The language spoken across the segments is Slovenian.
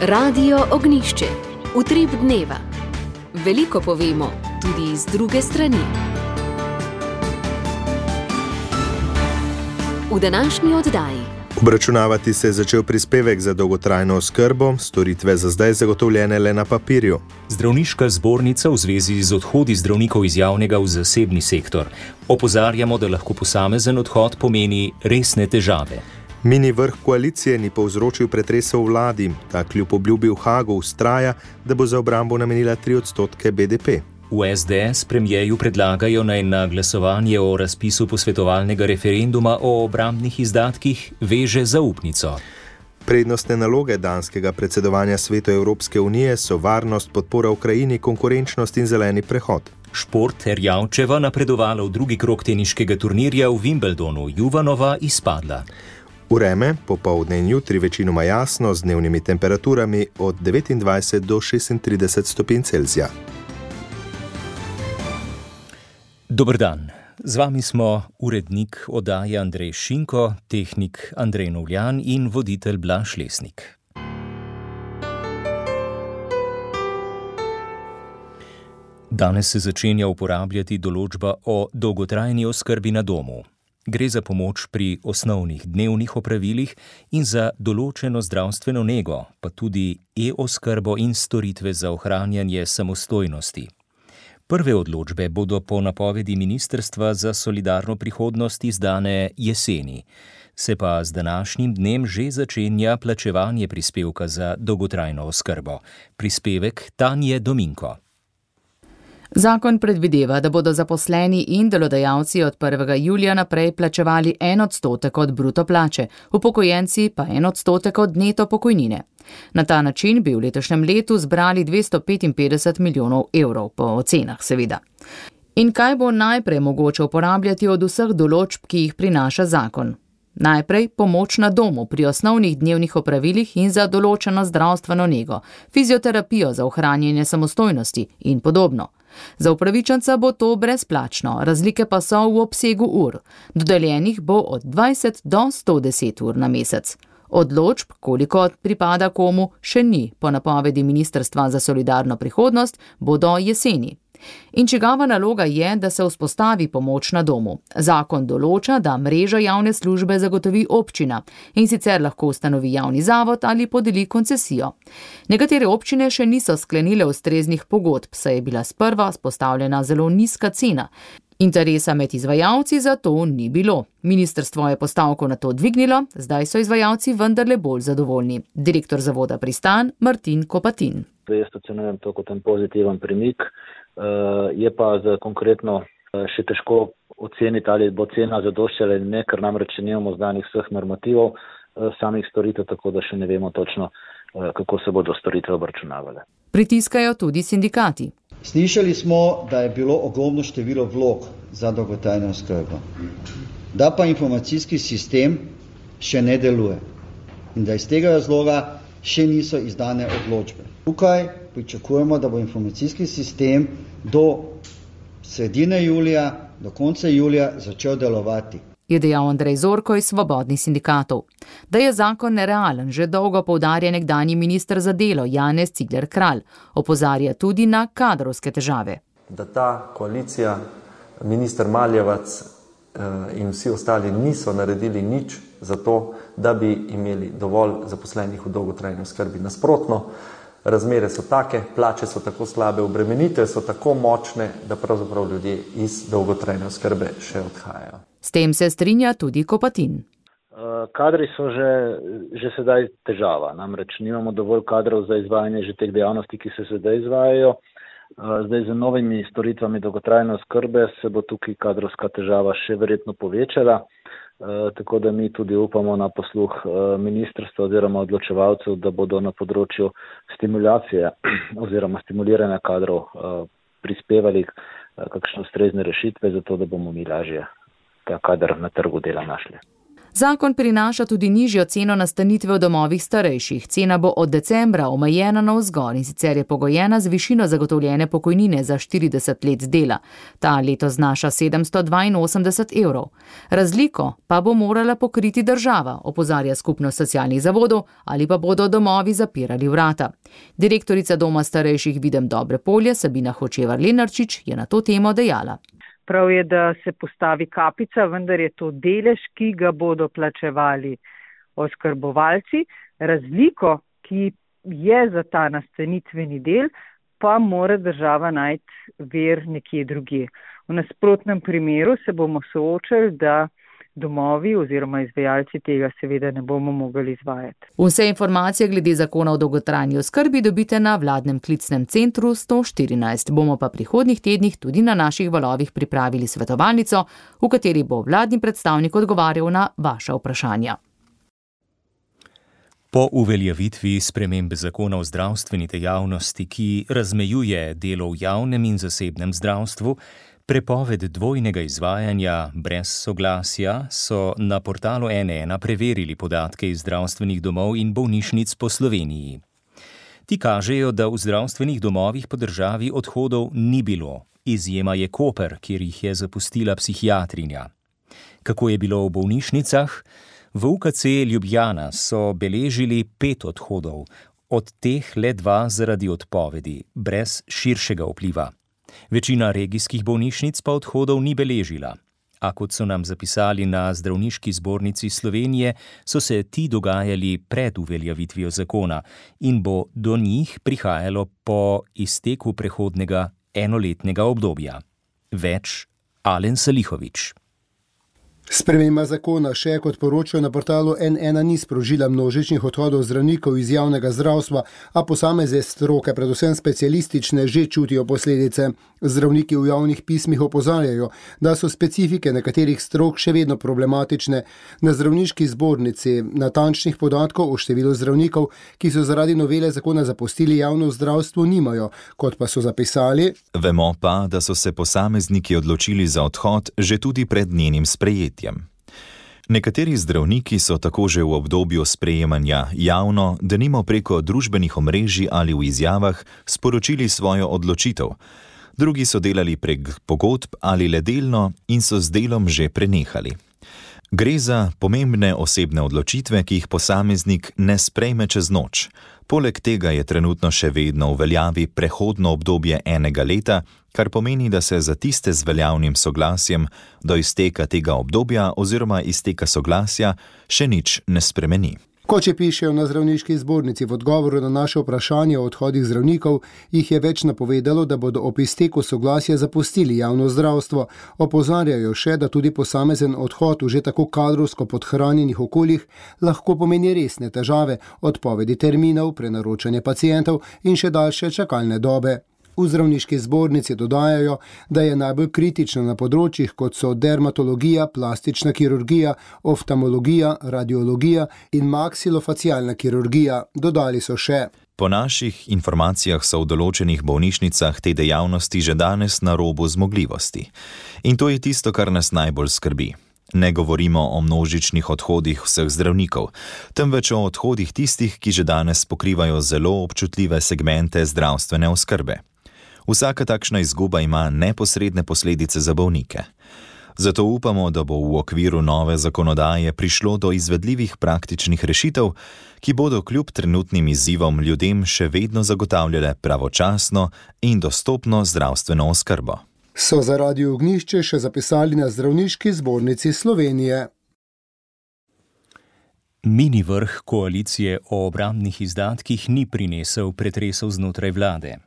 Radio Ognjišče. Utrip dneva. Veliko povemo, tudi z druge strani. V današnji oddaji. Obračunavati se je začel prispevek za dolgotrajno oskrbo, storitve za zdaj zagotovljene le na papirju. Zdravniška zbornica v zvezi z odhodi zdravnikov iz javnega v zasebni sektor. Opozarjamo, da lahko posamezen odhod pomeni resne težave. Mini vrh koalicije ni povzročil pretresa v vladi. Ta kljub obljubi v Hagu vztraja, da bo za obrambo namenila 3% BDP. V SDS premierju predlagajo naj na glasovanje o razpisu posvetovalnega referenduma o obrambnih izdatkih veže zaupnico. Prednostne naloge danskega predsedovanja Svetu Evropske unije so varnost, podpora Ukrajini, konkurenčnost in zeleni prehod. Šport Erjavčeva napredovala v drugi krog teniškega turnirja v Wimbledonu, Juvanova izpadla. Vreme, popoldne in jutri večinoma jasno z dnevnimi temperaturami od 29 do 36 stopinj Celzija. Dober dan. Z vami smo urednik oddaje Andrej Šinko, tehnik Andrej Novljan in voditelj Blaž Lesnik. Danes se začenja uporabljati določba o dolgotrajni oskrbi na domu. Gre za pomoč pri osnovnih dnevnih opravilih in za določeno zdravstveno nego, pa tudi e-oskrbo in storitve za ohranjanje samostojnosti. Prve odločbe bodo po napovedi Ministrstva za solidarno prihodnost izdane jeseni. Se pa z današnjim dnem že začenja plačevanje prispevka za dolgotrajno oskrbo. Prispevek Tanje Dominko. Zakon predvideva, da bodo zaposleni in delodajalci od 1. julija naprej plačevali 1% od bruto plače, upokojenci pa 1% od neto pokojnine. Na ta način bi v letošnjem letu zbrali 255 milijonov evrov, po ocenah seveda. In kaj bo najprej mogoče uporabljati od vseh določb, ki jih prinaša zakon? Najprej pomoč na domu pri osnovnih dnevnih opravilih in za določeno zdravstveno nego, fizioterapijo za ohranjanje samostojnosti in podobno. Za upravičenca bo to brezplačno, razlike pa so v obsegu ur. Dodeljenih bo od 20 do 110 ur na mesec. Odločb, koliko pripada komu, še ni, po napovedi Ministrstva za solidarno prihodnost, bo do jeseni. In čigava naloga je, da se vzpostavi pomoč na domu. Zakon določa, da mrežo javne službe zagotovi občina in sicer lahko ustanovi javni zavod ali podeli koncesijo. Nekatere občine še niso sklenile ustreznih pogodb, saj je bila sprva vzpostavljena zelo nizka cena. Interesa med izvajalci za to ni bilo. Ministrstvo je postavko na to dvignilo, zdaj so izvajalci vendarle bolj zadovoljni. Direktor zavoda Pristan Martin Kopatin. Jaz ocenujem to kot en pozitiven premik. Je pa konkretno še težko oceniti, ali bo cena zadoščala ali ne, ker namreč nimamo znanih vseh normativov samih storitev, tako da še ne vemo točno, kako se bodo storitve obračunavale. Pritiskajo tudi sindikati. Slišali smo, da je bilo ogromno število vlog za dolgotrajno oskrbo, da pa informacijski sistem še ne deluje in da iz tega razloga še niso izdane odločbe. Tukaj pričakujemo, da bo informacijski sistem do sredine julija, do konca julija začel delovati. Je dejal Andrej Zorko iz Svobodnih sindikatov. Da je zakon nerealen, že dolgo poudarja nekdanji minister za delo Janez Cigler Kralj. Opozarja tudi na kadrovske težave. Da ta koalicija, minister Maljevac in vsi ostali niso naredili nič za to, da bi imeli dovolj zaposlenih v dolgotrajni oskrbi. Nasprotno, razmere so take, plače so tako slabe, obremenitve so tako močne, da pravzaprav ljudje iz dolgotrajne oskrbe še odhajajo. S tem se strinja tudi Kopatin. Kadri so že sedaj težava, namreč nimamo dovolj kadrov za izvajanje že teh dejavnosti, ki se sedaj izvajajo. Zdaj z novimi storitvami dolgotrajne oskrbe se bo tukaj kadrovska težava še verjetno povečala, tako da mi tudi upamo na posluh ministrstva oziroma odločevalcev, da bodo na področju stimulacije oziroma stimuliranja kadrov prispevali kakšne ustrezne rešitve, zato da bomo mi lažje ta kader na trgu dela našli. Zakon prinaša tudi nižjo ceno nastanitve v domovih starejših. Cena bo od decembra omejena navzgor in sicer je pogojena z višino zagotovljene pokojnine za 40 let dela. Ta leto znaša 782 evrov. Razliko pa bo morala pokriti država, opozarja Skupnost socialnih zavodov, ali pa bodo domovi zapirali vrata. Direktorica Doma starejših Videm Dobre Polje, Sabina Hočevar-Lenarčič, je na to temo dejala. Prav je, da se postavi kapica, vendar je to delež, ki ga bodo plačevali oskrbovalci. Razliko, ki je za ta nastanitveni del, pa mora država najti vir nekje drugje. V nasprotnem primeru se bomo soočali, da domovi oziroma izvajalci tega seveda ne bomo mogli izvajati. Vse informacije glede zakona o dolgotrajni oskrbi dobite na vladnem klicnem centru 114. Bomo pa prihodnjih tednih tudi na naših valovih pripravili svetovalnico, v kateri bo vladni predstavnik odgovarjal na vaša vprašanja. Po uveljavitvi spremembe zakona o zdravstveni dejavnosti, ki razmejuje delo v javnem in zasebnem zdravstvu, prepoved dvojnega izvajanja brez soglasja, so na portalu N1 preverili podatke iz zdravstvenih domov in bolnišnic po Sloveniji. Ti kažejo, da v zdravstvenih domovih po državi odhodov ni bilo. Izjema je Koper, kjer jih je zapustila psihiatrinja. Kako je bilo v bolnišnicah? V UKC Ljubljana so beležili 5 odhodov, od teh le 2 zaradi odpovedi, brez širšega vpliva. Večina regijskih bolnišnic pa odhodov ni beležila. A kot so nam zapisali na Zdravniški zbornici Slovenije, so se ti dogajali pred uveljavitvijo zakona in bo do njih prihajalo po izteku prehodnega enoletnega obdobja. Več Alen Salihovič. Sprememba zakona še, kot poročajo na portalu N1, ni sprožila množičnih odhodov zdravnikov iz javnega zdravstva, a posamezne stroke, predvsem specialistične, že čutijo posledice. Zdravniki v javnih pismih opozarjajo, da so specifike nekaterih strok še vedno problematične. Na Zdravniški zbornici natančnih podatkov o številu zdravnikov, ki so zaradi novele zakona zapustili javno zdravstvo, nimajo, kot pa so zapisali. Vemo pa, da so se posamezniki odločili za odhod že tudi pred njenim sprejetjem. Nekateri zdravniki so tako že v obdobju sprejemanja javno, denimo preko družbenih omrežij ali v izjavah, sporočili svojo odločitev. Drugi so delali prek pogodb ali le delno in so z delom že prenehali. Gre za pomembne osebne odločitve, ki jih posameznik ne sprejme čez noč. Poleg tega je trenutno še vedno v veljavi prehodno obdobje 1 leta, kar pomeni, da se za tiste z veljavnim soglasjem do izteka tega obdobja oziroma izteka soglasja še nič ne spremeni. Kot še pišejo na Zdravniški zbornici v odgovoru na naše vprašanje o odhodih zdravnikov, jih je več napovedalo, da bodo ob izteku soglasja zapustili javno zdravstvo. Opozarjajo še, da tudi posamezen odhod v že tako kadrovsko podhranjenih okoljih lahko pomeni resne težave, odpovedi terminov, prenaročanje pacientov in še daljše čakalne dobe. V Zdravniški zbornici dodajajo, da je najbolj kritično na področjih, kot so dermatologija, plastična kirurgija, oftalmologija, radiologija in maksilofacialna kirurgija. Dodali so še: Po naših informacijah so v določenih bolnišnicah te dejavnosti že danes na robu zmogljivosti. In to je tisto, kar nas najbolj skrbi. Ne govorimo o množičnih odhodih vseh zdravnikov, temveč o odhodih tistih, ki že danes pokrivajo zelo občutljive segmente zdravstvene oskrbe. Vsaka takšna izguba ima neposredne posledice za bolnike. Zato upamo, da bo v okviru nove zakonodaje prišlo do izvedljivih praktičnih rešitev, ki bodo kljub trenutnim izzivom ljudem še vedno zagotavljale pravočasno in dostopno zdravstveno oskrbo. So za Radio Ognjišče še zapisali na Zdravniški zbornici Slovenije. Mini vrh koalicije o obrambnih izdatkih ni prinesel pretresov znotraj vlade.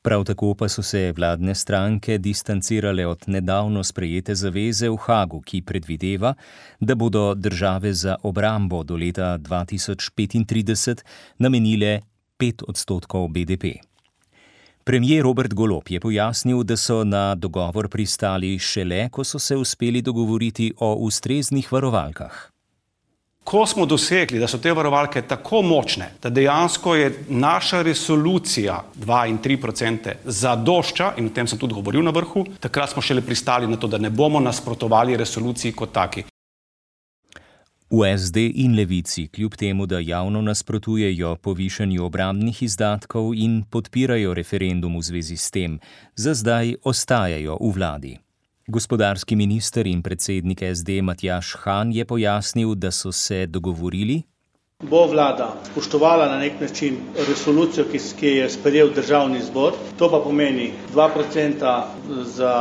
Prav tako pa so se vladne stranke distancirale od nedavno sprejete zaveze v Hagu, ki predvideva, da bodo države za obrambo do leta 2035 namenile 5% BDP. Premier Robert Golob je pojasnil, da so na dogovor pristali šele, ko so se uspeli dogovoriti o ustreznih varovalkah. Ko smo dosegli, da so te varovalke tako močne, da dejansko je naša resolucija 2 in 3% zadošča, in o tem sem tudi govoril na vrhu, takrat smo šele pristali na to, da ne bomo nasprotovali resoluciji kot taki. V SD in Levici, kljub temu, da javno nasprotujejo povišanju obrambnih izdatkov in podpirajo referendum v zvezi s tem, za zdaj ostajajo v vladi. Gospodarski minister in predsednik SD Matjaž Han je pojasnil, da so se dogovorili, bo vlada spoštovala na nek način resolucijo, ki je sprejel državni zbor. To pa pomeni 2% za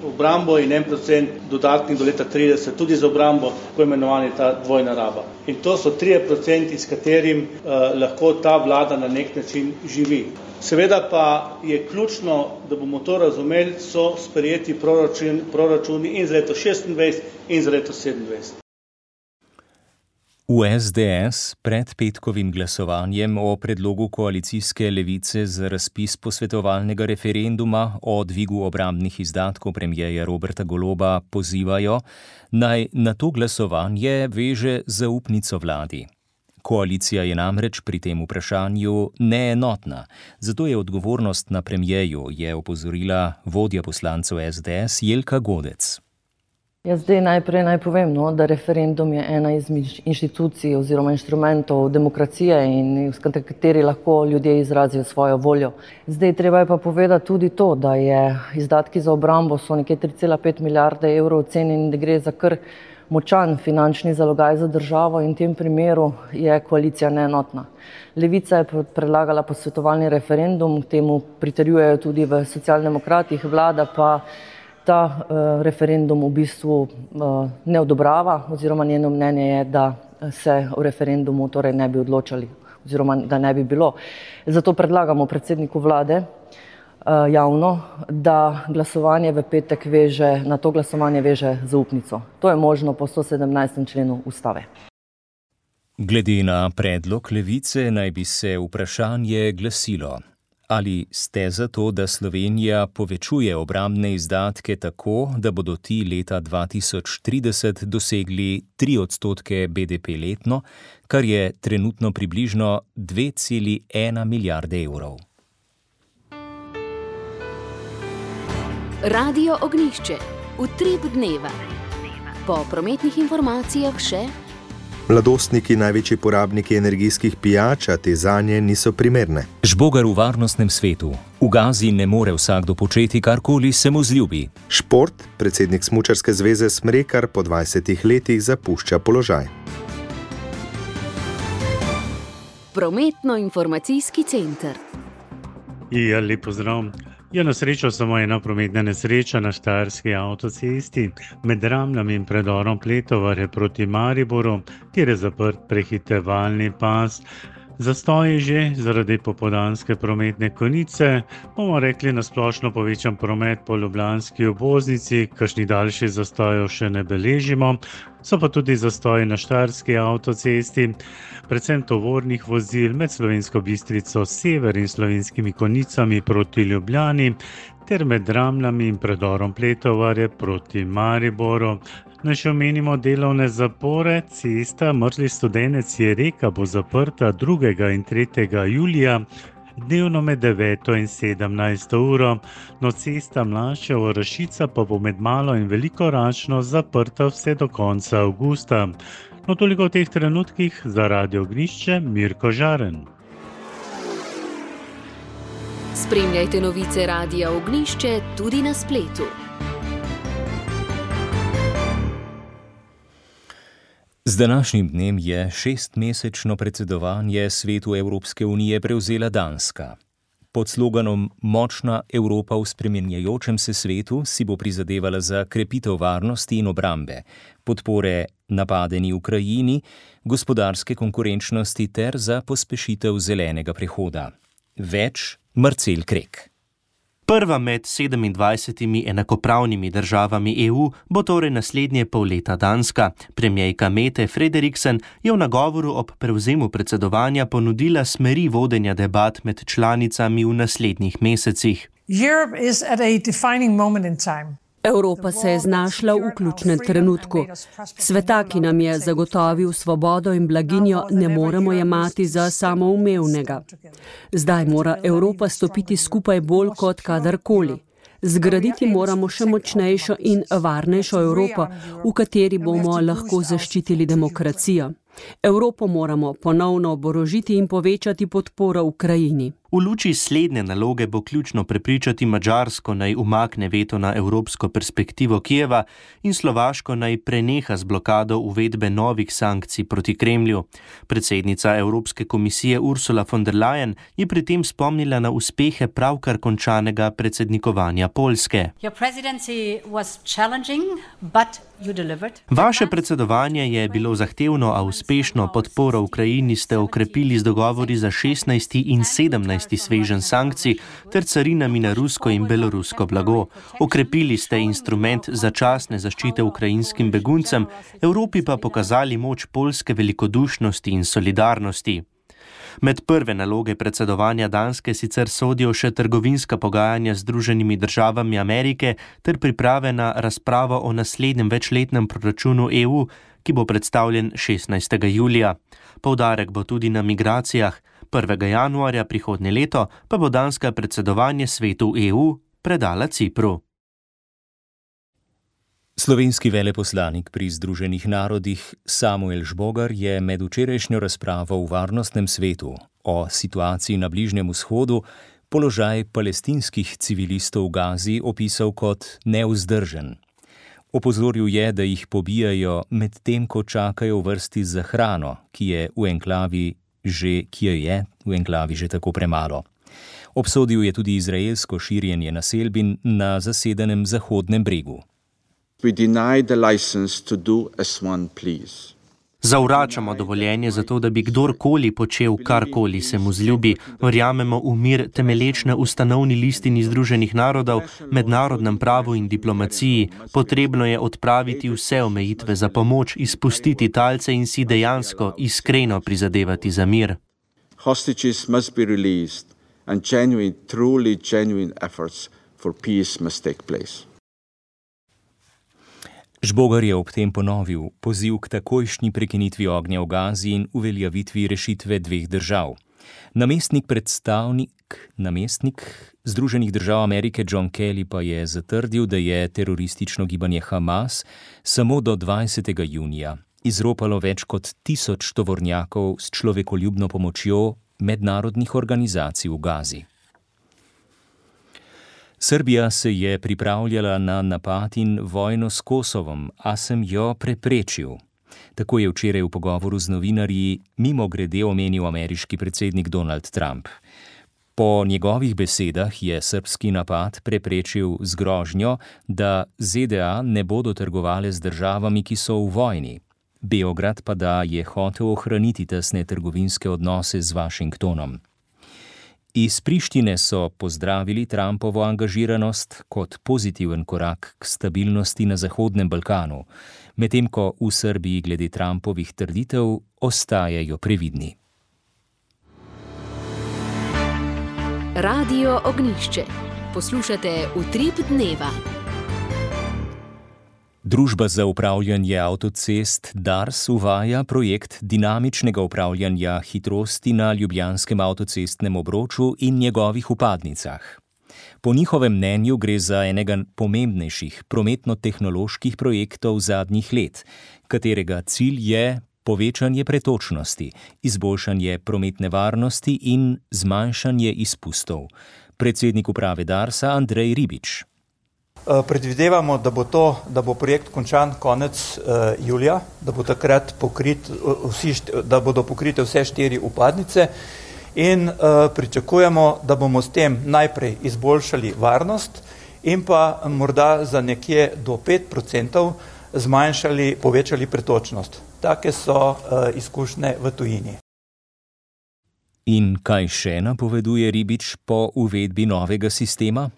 obrambo in 1% dodatnih do leta 30, tudi za obrambo, tako imenovani ta dvojna raba. In to so 3%, s katerim lahko ta vlada na nek način živi. Seveda pa je ključno, da bomo to razumeli, so sprejeti proračuni in za leto 26 in za leto 27. V SDS pred petkovim glasovanjem o predlogu koalicijske levice za razpis posvetovalnega referenduma o dvigu obrambnih izdatkov premierja Roberta Goloba pozivajo, naj na to glasovanje veže zaupnico vladi. Koalicija je namreč pri tem vprašanju neenotna, zato je odgovornost na premierju, je opozorila vodja poslancev SDS Jelka Godec. Jaz zdaj najprej naj povem, da referendum je ena izmed inštitucij oziroma inštrumentov demokracije in s kateri lahko ljudje izrazijo svojo voljo. Zdaj treba je pa povedati tudi to, da je izdatki za obrambo so nekje 3,5 milijarde evrov ocenjeni in da gre za kar močan finančni zalogaj za državo in v tem primeru je koalicija neenotna. Levica je predlagala posvetovalni referendum, temu pritrjujejo tudi v Socialdemokratih, vlada pa ta referendum v bistvu ne odobrava oziroma njeno mnenje je, da se o referendumu torej ne bi odločali oziroma da ne bi bilo. Zato predlagamo predsedniku vlade javno, da glasovanje v petek na to glasovanje veže zaupnico. To je možno po 117. členu ustave. Glede na predlog levice naj bi se vprašanje glasilo. Ali ste za to, da Slovenija povečuje obrambne izdatke tako, da bodo ti leta 2030 dosegli 3% BDP letno, kar je trenutno približno 2,1 milijarde evrov? Radio Ognjišče. Utrip dneva. Po prometnih informacijah še: mladostniki največji porabniki energijskih pijač, a te zanje niso primerne. Žbogar v varnostnem svetu. V Gazi ne more vsakdo početi karkoli se mu zljubi. Šport. Predsednik Smučarske zveze Smrekar po 20 letih zapušča položaj. Prometno-informacijski center. Ja, lep pozdrav. Je na srečo samo ena prometna nesreča na Štajerski avtocesti med Ramljami in predorom Pletovare proti Mariboru, kjer je zaprt prehitevalni pas. Zastoj je že zaradi popoldanske prometne konice, bomo rekli na splošno povečan promet po ljubljanski obvoznici, kakšnih daljših zastojev še ne beležimo, so pa tudi zastoji na Štajerski avtocesti, predvsem tovornih vozil med Slovensko Bistrico sever in Slovenskimi Konicami proti Ljubljani ter med Ramljami in predorom Pletovarje proti Mariboru. Naj še omenimo delovne zapore. Cesta Mrzli Studenec je Reka bo zaprta 2. in 3. julija, dnevno med 9. in 17. uro, no cesta Mlaševo-Rašica pa bo med Malo in Veliko Račno zaprta vse do konca avgusta. No, toliko v teh trenutkih. Za Radio Ognjišče, Mirko Žaren. Spremljajte novice Radia Ognjišče tudi na spletu. Z današnjim dnem je 6-mesečno predsedovanje Svetu Evropske unije prevzela Danska. Pod sloganom Močna Evropa v spreminjajočem se svetu si bo prizadevala za krepitev varnosti in obrambe, podpore napadeni Ukrajini, gospodarske konkurenčnosti ter za pospešitev zelenega prehoda. Več Marcel Krek. Prva med 27 enakopravnimi državami EU bo torej naslednje pol leta Danska. Premierka Mette Frederiksen je v nagovoru ob prevzemu predsedovanja ponudila smeri vodenja debat med članicami v naslednjih mesecih. Evropa se je znašla v ključnem trenutku. Sveta, ki nam je zagotovil svobodo in blaginjo, ne moremo jemati za samoumevnega. Zdaj mora Evropa stopiti skupaj bolj kot kadarkoli. Zgraditi moramo še močnejšo in varnejšo Evropo, v kateri bomo lahko zaščitili demokracijo. Evropo moramo ponovno oborožiti in povečati podporo Ukrajini. V luči slednje naloge bo ključno prepričati Madžarsko, naj umakne veto na evropsko perspektivo Kijeva in Slovaško naj preneha z blokado uvedbe novih sankcij proti Kremlju. Predsednica Evropske komisije Ursula von der Leyen je pri tem spomnila na uspehe pravkar končanega predsednikovanja Poljske. Vaše predsedovanje je bilo zahtevno, a uspešno. Podporo Ukrajini ste okrepili z dogovori za 16. in 17. sveženj sankcij ter carinami na rusko in belorusko blago. Okrepili ste instrument začasne zaščite ukrajinskim beguncem, Evropi pa pokazali moč poljske velikodušnosti in solidarnosti. Med prve naloge predsedovanja Danske sicer sodijo še trgovinska pogajanja z Združenimi državami Amerike ter priprave na razpravo o naslednjem večletnem proračunu EU, ki bo predstavljen 16. julija. Poudarek bo tudi na migracijah. 1. januarja prihodnje leto pa bo Danska predsedovanje svetu EU predala Cipru. Slovenski veleposlanik pri Združenih narodih Samuel Žbogar je med včerajšnjo razpravo v Varnostnem svetu o situaciji na Bližnjem vzhodu položaj palestinskih civilistov v Gazi opisal kot nevzdržen. Opozoril je, da jih pobijajo med tem, ko čakajo v vrsti za hrano, ki je v enklavi že tako premalo. Obsodil je tudi izraelsko širjenje naselbin na zasedenem Zahodnem bregu. Zavračamo dovoljenje za to, da bi kdorkoli počel karkoli se mu zljubi. Verjamemo v mir temelječ na ustanovni listini Združenih narodov, mednarodnem pravu in diplomaciji. Potrebno je odpraviti vse omejitve za pomoč, izpustiti talce in si dejansko iskreno prizadevati za mir. Hostages must be released and truly genuine efforts for peace must take place. Žbogar je ob tem ponovil poziv k takojšnji prekinitvi ognja v Gazi in uveljavitvi rešitve dveh držav. Namestnik Združenih držav Amerike John Kelly pa je zatrdil, da je teroristično gibanje Hamas samo do 20. junija izropalo več kot 1000 tovornjakov s človekoljubno pomočjo mednarodnih organizacij v Gazi. Srbija se je pripravljala na napad in vojno s Kosovom, a sem jo preprečil. Tako je včeraj v pogovoru z novinarji mimogrede omenil ameriški predsednik Donald Trump. Po njegovih besedah je srbski napad preprečil z grožnjo, da ZDA ne bodo trgovale z državami, ki so v vojni. Beograd pa da je hotel ohraniti tesne trgovinske odnose z Washingtonom. Iz Prištine so pozdravili Trumpovo angažiranost kot pozitiven korak k stabilnosti na Zahodnem Balkanu, medtem ko v Srbiji glede Trumpovih trditev ostajajo previdni. Radio Ognjišče. Poslušate Utrip dneva. Družba za upravljanje avtocest DARS uvaja projekt dinamičnega upravljanja hitrosti na ljubljanskem avtocestnem obroču in njegovih vpadnicah. Po njihovem mnenju gre za enega pomembnejših prometno-tehnoloških projektov zadnjih let, katerega cilj je povečanje pretočnosti, izboljšanje prometne varnosti in zmanjšanje izpustov. Predsednik uprave DARS-a Andrej Ribič. Predvidevamo, da bo projekt končan konec julija, da bo takrat da bodo pokrite vse 4 vpadnice in pričakujemo, da bomo s tem najprej izboljšali varnost in pa morda za nekje do 5% povečali pretočnost. Take so izkušnje v tujini. In kaj še napoveduje Ribič po uvedbi novega sistema?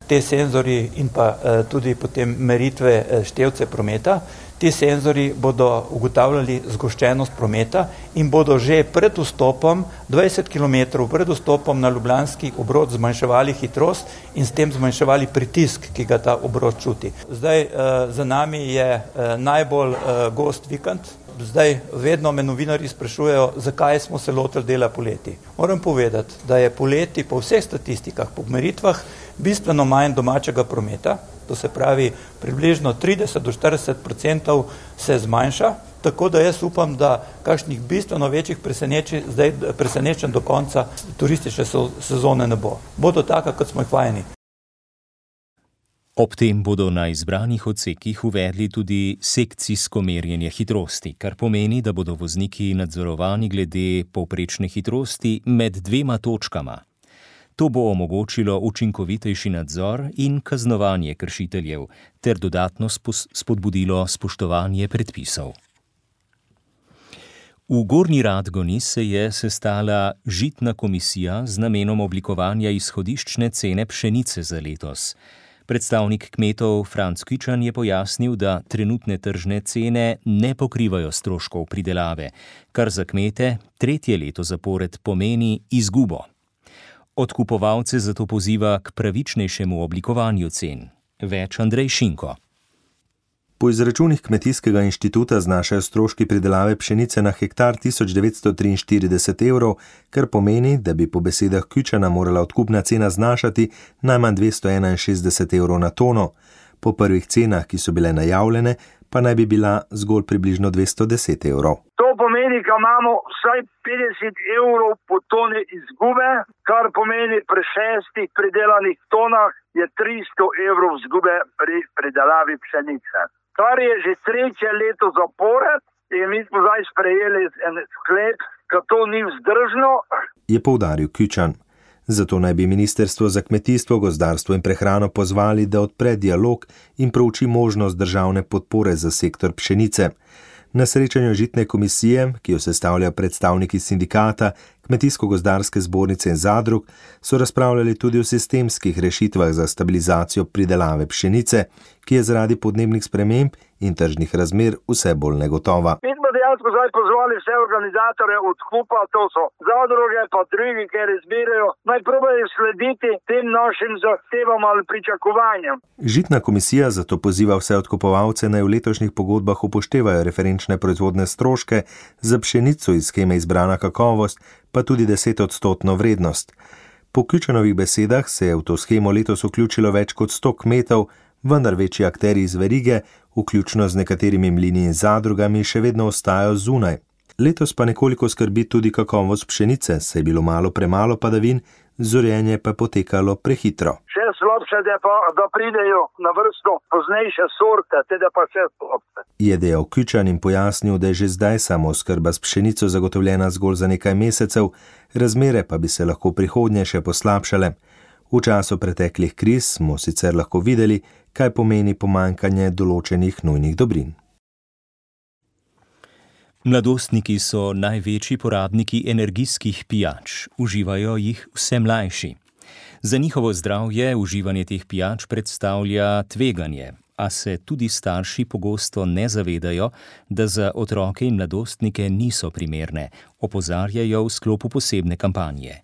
Te senzori in pa tudi potem meritve števce prometa, ti senzori bodo ugotavljali zgoščenost prometa in bodo že pred vstopom, 20 km pred vstopom na ljubljanski obroč zmanjševali hitrost in s tem zmanjševali pritisk, ki ga ta obroč čuti. Zdaj za nami je najbolj gost vikend, zdaj vedno me novinarji sprašujejo, zakaj smo se lotili dela poleti. Moram povedati, da je poleti po vseh statistikah, po meritvah, bistveno manj domačega prometa, to se pravi približno 30 do 40% se zmanjša, tako da jaz upam, da kakšnih bistveno večjih presenečenj do konca turistične sezone ne bo. Bodo taka, kot smo jih vajeni. Ob tem bodo na izbranih odsekih uvedli tudi sekcijsko merjenje hitrosti, kar pomeni, da bodo vozniki nadzorovani glede povprečne hitrosti med dvema točkama. To bo omogočilo učinkovitejši nadzor in kaznovanje kršiteljev ter dodatno spodbudilo spoštovanje predpisov. V Gornji Radgoni se je sestala žitna komisija z namenom oblikovanja izhodiščne cene pšenice za letos. Predstavnik kmetov Franc Kučan je pojasnil, da trenutne tržne cene ne pokrivajo stroškov pridelave, kar za kmete tretje leto zapored pomeni izgubo. Odkupovalce zato poziva k pravičnejšemu oblikovanju cen. Več Andrej Šinko. Po izračunih Kmetijskega inštituta znašajo stroški pridelave pšenice na hektar 1943 evrov, kar pomeni, da bi po besedah Kučana morala odkupna cena znašati najmanj 261 evrov na tono. Po prvih cenah, ki so bile najavljene, pa naj bi bila zgolj približno 210 evrov. To pomeni, da imamo vsaj 50 evrov po toni izgube, kar pomeni pri 6 pridelanih tonah je 300 evrov izgube pri pridelavi pšenice. Kar je že tretje leto zapored in mi smo zdaj sprejeli en sklep, da to ni vzdržno, je poudaril Kučan. Zato naj bi Ministrstvo za kmetijstvo, gozdarstvo in prehrano pozvali, da odpre dialog in prouči možnost državne podpore za sektor pšenice. Na srečanju žitne komisije, ki jo sestavljajo predstavniki sindikata, Kmetijsko-gozdarske zbornice in zadrug, so razpravljali tudi o sistemskih rešitvah za stabilizacijo pridelave pšenice, ki je zaradi podnebnih sprememb in tržnih razmer vse bolj negotova. Mi smo dejansko zdaj pozvali vse organizatorje odkupa, to so zadruge pa drugi, ki izbirajo, naj probajo slediti tem našim zahtevam ali pričakovanjem. Žitna komisija zato poziva vse odkupovalce, naj v letošnjih pogodbah upoštevajo referenčne proizvodne stroške za pšenico iz sheme Izbrana kakovost, pa tudi 10% vrednost. Po Kučanovih besedah se je v to shemo letos vključilo več kot 100 kmetov, vendar večji akteri iz verige, vključno z nekaterimi mlini in zadrugami, še vedno ostajajo zunaj. Letos pa nekoliko skrbi tudi kakovost pšenice, saj je bilo premalo padavin, zorjenje pa je potekalo prehitro. Še slabše je pa, da pridejo na vrsto poznejše sorte, teda pa še slabše. Je dejal Kučan in pojasnil, da je že zdaj samooskrba s pšenico zagotovljena zgolj za nekaj mesecev, razmere pa bi se lahko prihodnje še poslabšale. V času preteklih kriz smo sicer lahko videli, kaj pomeni pomanjkanje določenih nujnih dobrin. Mladostniki so največji porabniki energijskih pijač, uživajo jih vse mlajši. Za njihovo zdravje uživanje teh pijač predstavlja tveganje, a se tudi starši pogosto ne zavedajo, da za otroke in mladostnike niso primerne, opozarjajo v sklopu posebne kampanje.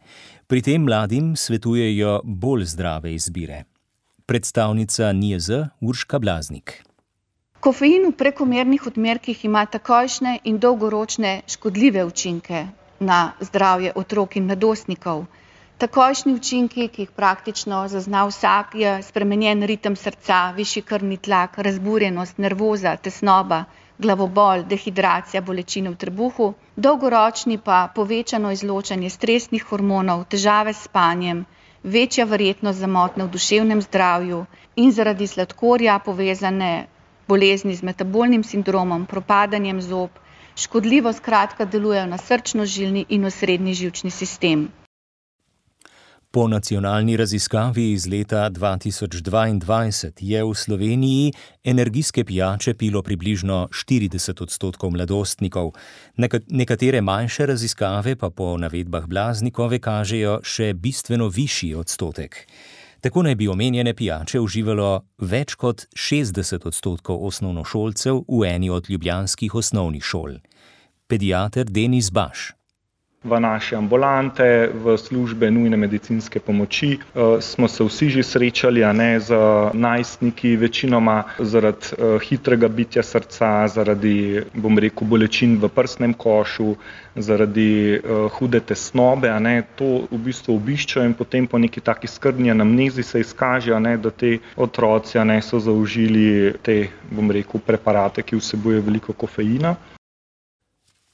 Pri tem mladim svetujejo bolj zdrave izbire. Predstavnica NIJZ Urška Blaznik. Kofein v prekomernih odmerkih ima takojšnje in dolgoročne škodljive učinke na zdravje otrok in mladostnikov. Takojšnji učinki, ki jih praktično zazna vsak, je spremenjen ritem srca, višji krvni tlak, razburjenost, nervoza, tesnoba, glavobol, dehidracija, bolečine v trebuhu. Dolgoročni pa povečano izločanje stresnih hormonov, težave s spanjem, večja verjetnost za motnje v duševnem zdravju in zaradi sladkorja povezane bolezni z metabolnim sindromom, propadanjem zob, škodljivo skratka delujejo na srčno-žilni in osrednji živčni sistem. Po nacionalni raziskavi iz leta 2022 je v Sloveniji energijske pijače pilo približno 40% mladostnikov. Nekatere manjše raziskave pa po navedbah Blaznikove kažejo še bistveno višji odstotek. Tako naj bi omenjene pijače uživalo več kot 60% osnovnošolcev v eni od ljubljanskih osnovnih šol. Pediater Denis Baš. v naše ambulante, v službe nujne medicinske pomoči. Smo se vsi že srečali, z najstniki, večinoma zaradi hitrega bitja srca, zaradi, bolečin v prsnem košu, zaradi hude tesnobe, to v bistvu obiščejo in potem po neki taki skrbni anamnezi se izkaže, da te otroci so zaužili te, preparate, ki vsebujejo veliko kofeina.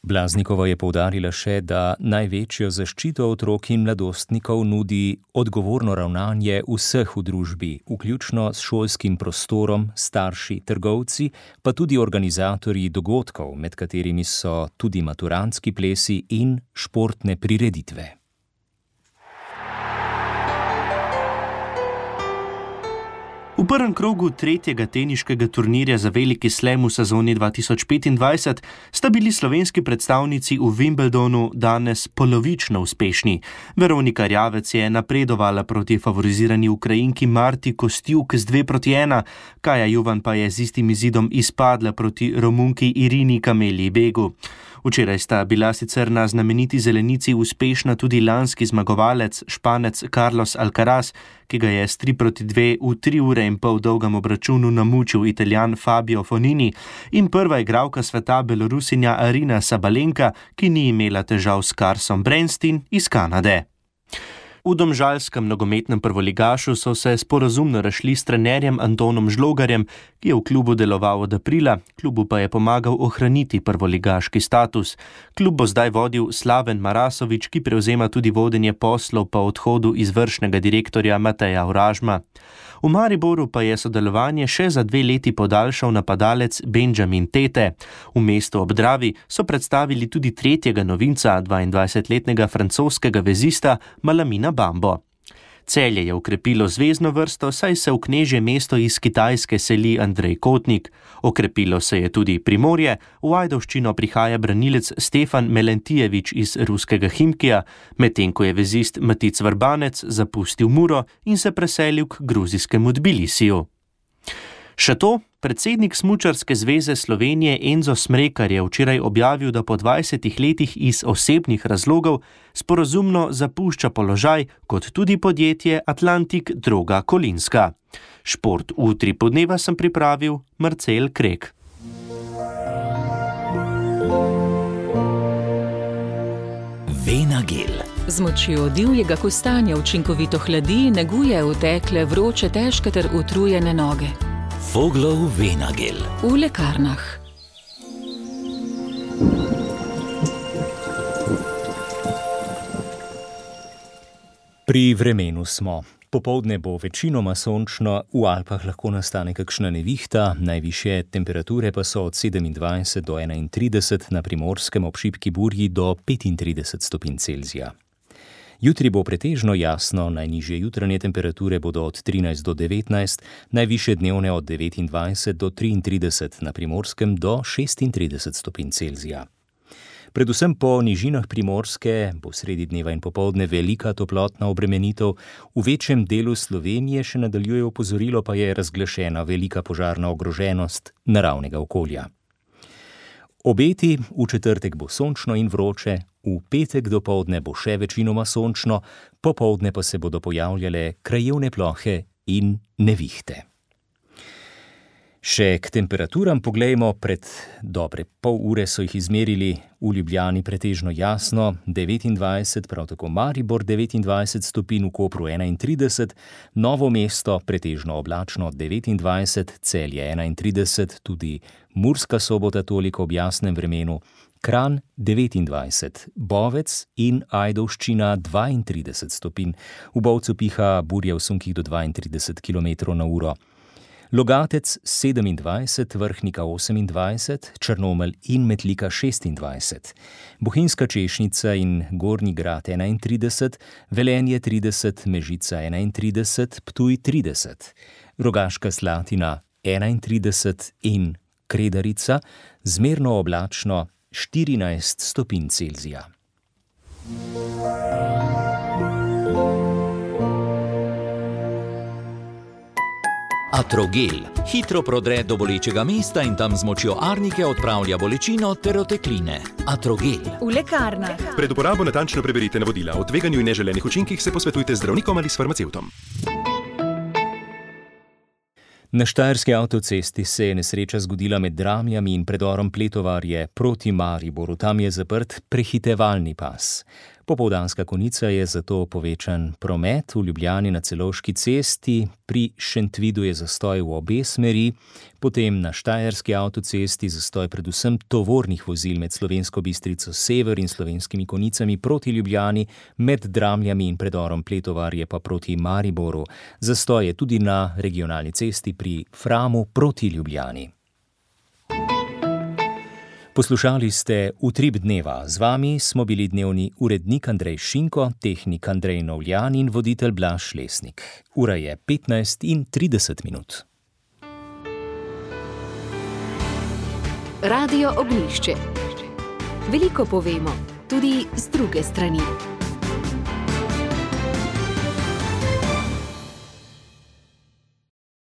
Blaznikova je poudarila še, da največjo zaščito otrok in mladostnikov nudi odgovorno ravnanje vseh v družbi, vključno s šolskim prostorom, starši, trgovci, pa tudi organizatorji dogodkov, med katerimi so tudi maturantski plesi in športne prireditve. V prvem krogu tretjega teniškega turnirja za veliki slam v sezoni 2025 sta bili slovenski predstavnici v Wimbledonu danes polovično uspešni. Veronika Rjavec je napredovala proti favorizirani Ukrajinki Marti Kostjuk z 2-1, Kaja Juvan pa je z istim izidom izpadla proti Romunki Irini Camelii Begu. Včeraj sta bila sicer na znameniti zelenici uspešna tudi lanski zmagovalec, Španec Carlos Alcaraz, ki ga je s 3-2 v 3 ure in pol dolgem obračunu namučil Italijan Fabio Fonini, in prva igralka sveta Belorusinja Arina Sabalenka, ki ni imela težav s Carsom Bernstein iz Kanade. V domžalskem nogometnem prvoligašu so se sporazumno razšli s trenerjem Antonom Žlogarjem, ki je v klubu deloval od aprila, klubu pa je pomagal ohraniti prvoligaški status. Klub bo zdaj vodil Slaven Marasovič, ki prevzema tudi vodenje poslov po odhodu izvršnega direktorja Mateja Oražma. V Mariboru pa je sodelovanje še za 2 leti podaljšal napadalec Benjamin Tete. V mestu ob Dravi so predstavili tudi tretjega novinca, 22-letnega francoskega vezista Malamina Bambo. Celje je okrepilo zvezno vrsto, saj se v knežje mesto iz Kitajske seli Andrej Kotnik. Okrepilo se je tudi Primorje, v Ajdovščino prihaja branilec Stefan Melentijevič iz ruskega Himkija, medtem ko je vezist Matic Vrbanec zapustil Muro in se preselil k gruzijskemu Tbilisiju. Še to, predsednik Smučarske zveze Slovenije Enzo Smrekar je včeraj objavil, da po 20 letih iz osebnih razlogov sporazumno zapušča položaj, kot tudi podjetje Atlantik Droga Kolinska. Šport v 3 podneva sem pripravil Marcel Krek. Venagel. Z močjo divjega kostanja učinkovito hladi, neguje utekle, vroče, težke ter utrujene noge. Voglov Venagel. V lekarnah. Pri vremenu smo. Popoldne bo večinoma sončno, v Alpah lahko nastane kakšna nevihta, najvišje temperature pa so od 27 do 31, na Primorskem ob šibki burji do 35 stopinj Celzija. Jutri bo pretežno jasno, najnižje jutranje temperature bodo od 13 do 19, najvišje dnevne od 29 do 33, na Primorskem do 36 stopinj Celzija. Predvsem po nižinah Primorske bo sredi dneva in popoldne velika toplotna obremenitev, v večjem delu Slovenije še nadaljuje opozorilo, pa je razglašena velika požarna ogroženost naravnega okolja. Obeti, v četrtek bo sončno in vroče, v petek dopoldne bo še večinoma sončno, popoldne pa se bodo pojavljale krajevne plohe in nevihte. Še k temperaturam poglejmo, pred dobre pol ure so jih izmerili v Ljubljani pretežno jasno, 29, prav tako Maribor 29 stopinj, v Kopru 31, Novo mesto pretežno oblačno 29, Celje 31, tudi Murska Sobota toliko ob jasnem vremenu, Kranj 29, Bovec in Ajdovščina 32 stopinj, v Bovcu piha burja v sunkih do 32 km/h. Logatec 27, Vrhnika 28, Črnomelj in Metlika 26, Bohinjska Češnica in Gornji Grad 31, Velenje 30, Mežica 31, Ptuj 30, Rogaška Slatina 31 in Kredarica zmerno oblačno 14 stopinj Celzija. Atrogel hitro prodre do bolečega mesta in tam z močjo arnike odpravlja bolečino ter otekline. Atrogel. V lekarnah. Pred uporabo natančno preberite navodila. O tveganju in neželenih učinkih se posvetujte z zdravnikom ali s farmacevtom. Na štajerski avtocesti se je nesreča zgodila med Dramljami in predorom Pletovarje proti Mariboru. Tam je zaprt prehitevalni pas. Popoldanska konica je zato povečan promet. V Ljubljani na Celovški cesti, pri Šentvidu je zastoj v obe smeri, potem na štajerski avtocesti zastoj predvsem tovornih vozil med Slovensko Bistrico sever in Slovenskimi konicami proti Ljubljani, med Dramljami in predorom Pletovarje pa proti Mariboru. Zastoj je tudi na regionalni cesti pri Framu proti Ljubljani. Poslušali ste Utrip dneva. Z vami smo bili dnevni urednik Andrej Šinko, tehnik Andrej Novljan in voditelj Blaž Lesnik. Ura je 15:30. Radio Ognjišče. Veliko povemo, tudi z druge strani.